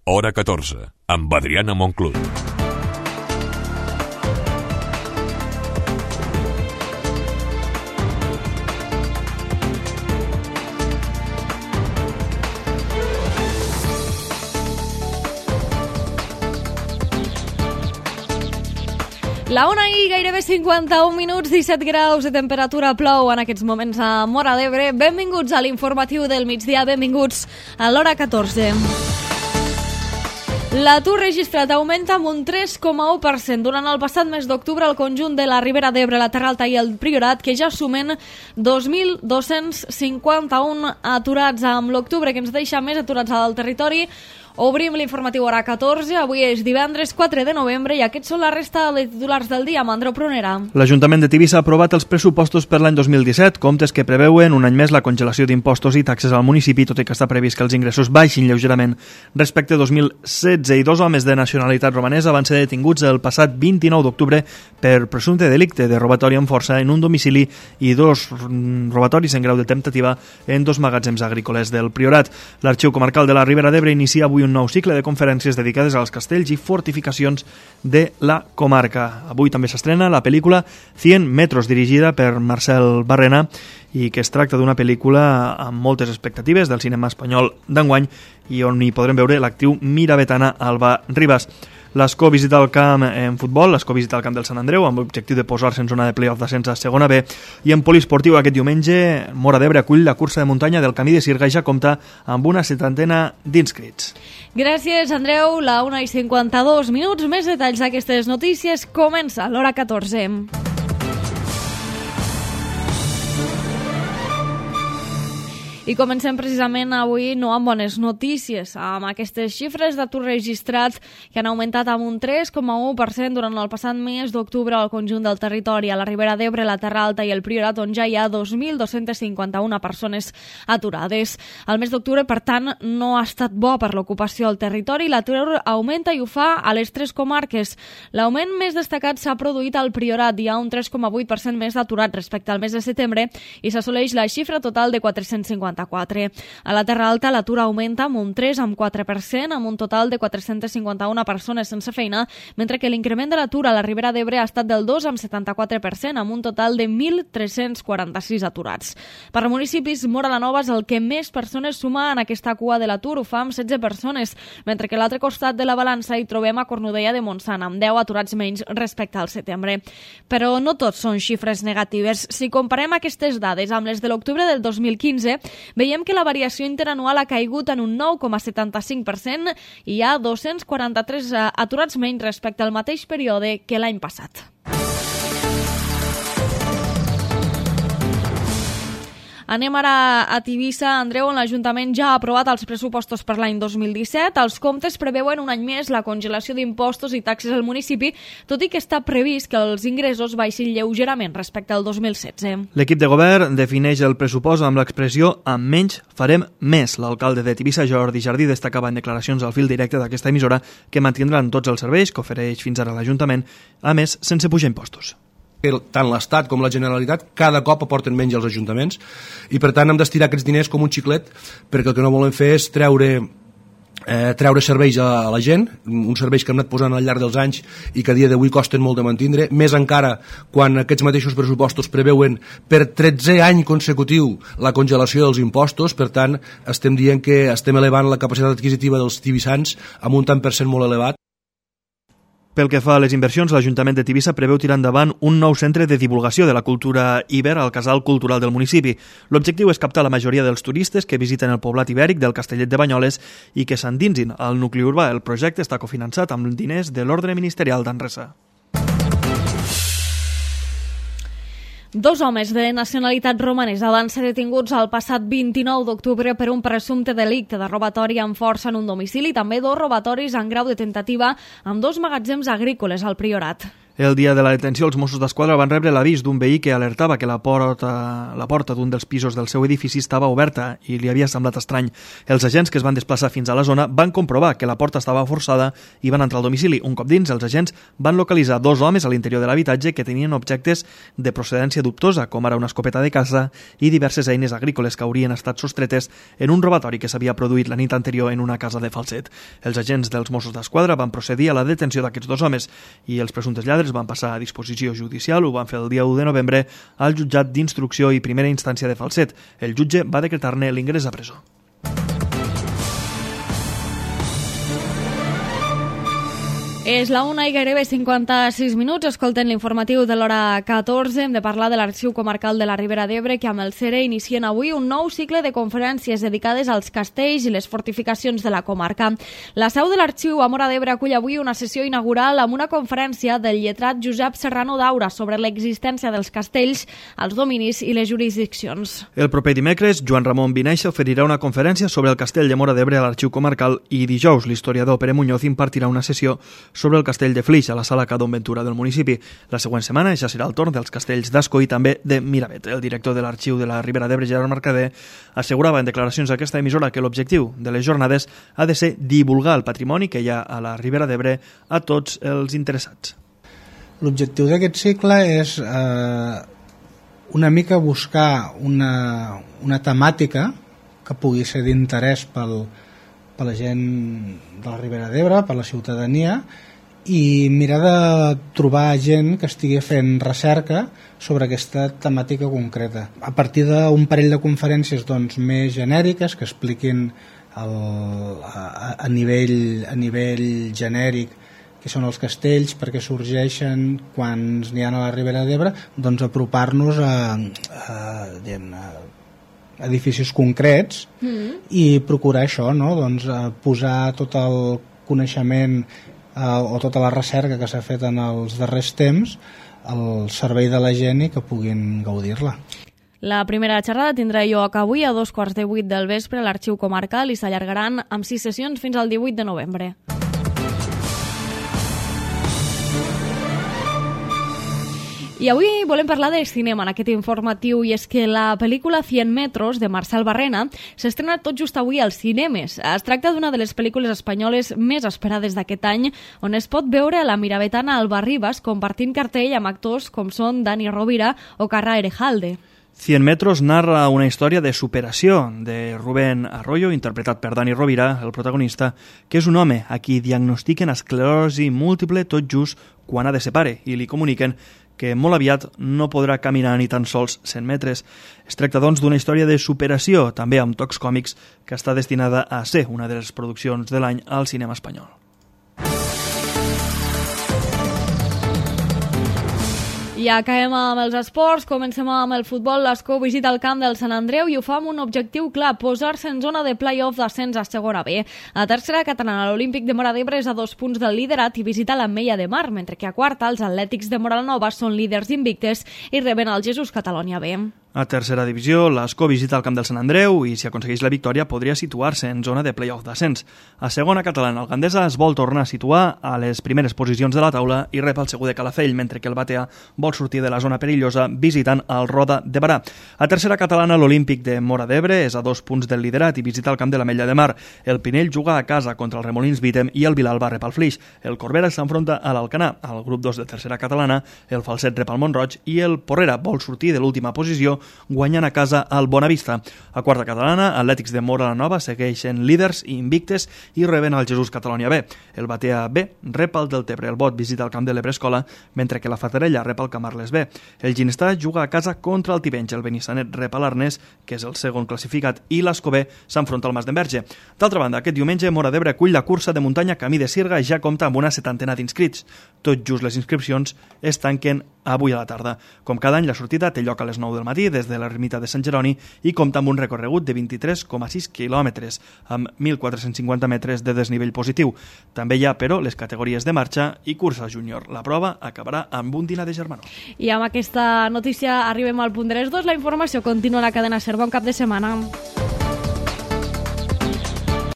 Hora 14, amb Adriana Monclús. La una i gairebé 51 minuts, 17 graus de temperatura, plou en aquests moments a Móra d'Ebre. Benvinguts a l'informatiu del migdia, benvinguts a l'Hora 14. L'atur registrat augmenta amb un 3,1% durant el passat mes d'octubre al conjunt de la Ribera d'Ebre, la Terra Alta i el Priorat, que ja sumen 2.251 aturats. Amb l'octubre que ens deixa més aturats al territori, obrim l'informatiu Hora 14. Avui és divendres 4 de novembre i aquests són la resta de titulars del dia amb Andreu Prunera. L'Ajuntament de Tivissa ha aprovat els pressupostos per l'any 2017, comptes que preveuen un any més la congelació d'impostos i taxes al municipi, tot i que està previst que els ingressos baixin lleugerament respecte a 2016. I dos homes de nacionalitat romanesa van ser detinguts el passat 29 d'octubre per presumpte delicte de robatori amb força en un domicili i dos robatoris en grau de temptativa en dos magatzems agrícoles del Priorat. L'Arxiu Comarcal de la Ribera d'Ebre inicia avui un nou cicle de conferències dedicades als castells i fortificacions de la comarca. Avui també s'estrena la pel·lícula 100 metros, dirigida per Marcel Barrena, i que es tracta d'una pel·lícula amb moltes expectatives del cinema espanyol d'enguany i on hi podrem veure l'actriu miravetana Alba Ribas. L'Escó visita el camp en futbol, l'Escó visita el camp del Sant Andreu amb l'objectiu de posar-se en zona de play-off d'ascens a segona B, i en poliesportiu aquest diumenge Móra d'Ebre acull la cursa de muntanya del Camí de Sirga i ja compta amb una 70 d'inscrits. Gràcies, Andreu. La 1 i 52 minuts. Més detalls d'aquestes notícies. Comença l'Hora 14. I comencem precisament avui no amb bones notícies, amb aquestes xifres d'atur registrats que han augmentat amb un 3,1% durant el passat mes d'octubre al conjunt del territori, a la Ribera d'Ebre, la Terra Alta i el Priorat, on ja hi ha 2.251 persones aturades. El mes d'octubre, per tant, no ha estat bo per l'ocupació al territori. L'atur augmenta i ho fa a les tres comarques. L'augment més destacat s'ha produït al Priorat. Hi ha un 3,8% més d'aturats respecte al mes de setembre i s'assoleix la xifra total de 450. A la Terra Alta l'atur augmenta amb un 3,4%, amb un total de 451 persones sense feina, mentre que l'increment de l'atur a la Ribera d'Ebre ha estat del 2,74%, amb un total de 1.346 aturats. Per a municipis, Móra la Nova és el que més persones suma en aquesta cua de l'atur, ho fa amb 16 persones, mentre que a l'altre costat de la balança hi trobem a Cornudella de Montsant, amb 10 aturats menys respecte al setembre. Però no tots són xifres negatives. Si comparem aquestes dades amb les de l'octubre del 2015, veiem que la variació interanual ha caigut en un 9,75% i hi ha 243 aturats menys respecte al mateix període que l'any passat. Anem ara a Tivissa, Andreu, on l'Ajuntament ja ha aprovat els pressupostos per l'any 2017. Els comptes preveuen un any més la congelació d'impostos i taxes al municipi, tot i que està previst que els ingressos baixin lleugerament respecte al 2016. L'equip de govern defineix el pressupost amb l'expressió «amb menys farem més». L'alcalde de Tivissa, Jordi Jardí, destacava en declaracions al fil directe d'aquesta emissora que mantindran tots els serveis que ofereix fins ara l'Ajuntament, a més, sense pujar impostos. Tant l'Estat com la Generalitat cada cop aporten menys als ajuntaments i per tant hem d'estirar aquests diners com un xiclet, perquè el que no volem fer és treure serveis a la gent, uns serveis que hem anat posant al llarg dels anys i que a dia d'avui costen molt de mantindre, més encara quan aquests mateixos pressupostos preveuen per 13è any consecutiu la congelació dels impostos. Per tant, estem dient que estem elevant la capacitat adquisitiva dels tivissans amb un tant per cent molt elevat. Pel que fa a les inversions, l'Ajuntament de Tivissa preveu tirar endavant un nou centre de divulgació de la cultura Iber al casal cultural del municipi. L'objectiu és captar la majoria dels turistes que visiten el poblat ibèric del Castellet de Banyoles i que s'endinsin al nucli urbà. El projecte està cofinançat amb diners de l'Ordre Ministerial d'Anresa. Dos homes de nacionalitat romanesa van ser detinguts el passat 29 d'octubre per un presumpte delicte de robatori amb força en un domicili i també dos robatoris en grau de tentativa amb dos magatzems agrícoles al Priorat. El dia de la detenció, els Mossos d'Esquadra van rebre l'avís d'un veí que alertava que la porta d'un dels pisos del seu edifici estava oberta i li havia semblat estrany. Els agents que es van desplaçar fins a la zona van comprovar que la porta estava forçada i van entrar al domicili. Un cop dins, els agents van localitzar 2 homes a l'interior de l'habitatge que tenien objectes de procedència dubtosa, com ara una escopeta de caça i diverses eines agrícoles que haurien estat sostretes en un robatori que s'havia produït la nit anterior en una casa de Falset. Els agents dels Mossos d'Esquadra van procedir a la detenció d'aquests 2 homes i els presumptes lladres van passar a disposició judicial. Ho van fer el dia 1 de novembre al jutjat d'instrucció i primera instància de Falset. El jutge va decretar-ne l'ingrés a presó. És la 1 i gairebé 56 minuts. Escolten l'informatiu de l'hora 14. Hem de parlar de l'Arxiu Comarcal de la Ribera d'Ebre, que amb el CERE inicien avui un nou cicle de conferències dedicades als castells i les fortificacions de la comarca. La seu de l'Arxiu a Móra d'Ebre acull avui una sessió inaugural amb una conferència del lletrat Josep Serrano Daura sobre l'existència dels castells, els dominis i les jurisdiccions. El proper dimecres, Joan Ramon Vinaixa oferirà una conferència sobre el castell de Móra d'Ebre a l'Arxiu Comarcal i dijous l'historiador Pere Muñoz impartirà una sessió sobre el castell de Flix a la sala Cadon Ventura del municipi. La següent setmana ja serà el torn dels castells d'Ascó i també de Miravet. El director de l'Arxiu de la Ribera d'Ebre, Gerard Mercader, assegurava en declaracions a aquesta emissora que l'objectiu de les jornades ha de ser divulgar el patrimoni que hi ha a la Ribera d'Ebre a tots els interessats. L'objectiu d'aquest cicle és una mica buscar una temàtica que pugui ser d'interès per la gent de la Ribera d'Ebre, per la ciutadania, i mirar de trobar gent que estigui fent recerca sobre aquesta temàtica concreta. A partir d'un parell de conferències més genèriques que expliquin a nivell genèric què són els castells, per què sorgeixen, quants n'hi ha a la Ribera d'Ebre, apropar-nos a edificis concrets i procurar això, posar tot el coneixement o tota la recerca que s'ha fet en els darrers temps al servei de la gent i que puguin gaudir-la. La primera xerrada tindrà lloc avui a 7:15 del vespre a l'Arxiu Comarcal i s'allargaran amb 6 sessions fins al 18 de novembre. I avui volem parlar de cinema en aquest informatiu, i és que la pel·lícula 100 metros de Marcel Barrena s'estrena tot just avui als cinemes. Es tracta d'una de les pel·lícules espanyoles més esperades d'aquest any, on es pot veure a la miravetana Alba Rivas compartint cartell amb actors com són Dani Rovira o Carra Erejalde. 100 metros narra una història de superació de Rubén Arroyo, interpretat per Dani Rovira, el protagonista, que és un home a qui diagnostiquen esclerosi múltiple tot just quan ha de ser pare i li comuniquen que molt aviat no podrà caminar ni tan sols 100 metres. Es tracta, doncs, d'una història de superació, també amb tocs còmics, que està destinada a ser una de les produccions de l'any al cinema espanyol. I acabem amb els esports, comencem amb el futbol. L'Ascó visita el camp del Sant Andreu i ho fa amb un objectiu clar, posar-se en zona de play-off d'ascens a segona B. A tercera catalana, l'Olímpic de Móra d'Ebre és a 2 punts del liderat i visita l'Ametlla de Mar, mentre que a quarta els Atlètics de Moralanova són líders invictes i reben el Jesús Catalonia B. A tercera divisió, l'Ascó visita el camp del Sant Andreu i, si aconsegueix la victòria, podria situar-se en zona de play-off d'ascens. A segona catalana, el Gandesa es vol tornar a situar a les primeres posicions de la taula i rep el Segur de Calafell, mentre que el Batea vol sortir de la zona perillosa visitant el Roda de Barà. A tercera catalana, l'Olímpic de Móra d'Ebre és a 2 punts del liderat i visita el camp de l'Ametlla de Mar. El Pinell juga a casa contra el Remolins Vítem i el Vilalba rep el Flix. El Corbera s'enfronta a l'Alcanar. Al grup 2 de tercera catalana, el Falset rep el Montroig i el Porrera vol sortir de l'última posició guanyant a casa al Bonavista. A quarta catalana, Atlètics de Moralanova segueixen líders i invictes i reben el Jesús Catalonia B. El Batea B rep el Deltebre. El Bot visita el camp de l'Ebre Escola, mentre que la Fatarella rep el Camarles B. El Ginestà juga a casa contra el Tivenys. El Benissanet rep a l'Arnès, que és el segon classificat, i l'Escobé s'enfronta al Mas d'Enverge. D'altra banda, aquest diumenge Móra d'Ebre acull la cursa de muntanya Camí de Sirga i ja compta amb una 70ena d'inscrits. Tot just les inscripcions es tanquen avui a la tarda. Com cada any, la sortida té lloc a les 9 del matí des de l'ermita de Sant Jeroni i compta amb un recorregut de 23,6 quilòmetres, amb 1.450 metres de desnivell positiu. També hi ha, però, les categories de marxa i cursa júnior. La prova acabarà amb un dinar de germanor. I amb aquesta notícia arribem al punt de les 2. La informació continua a la cadena SER. Bon cap de setmana.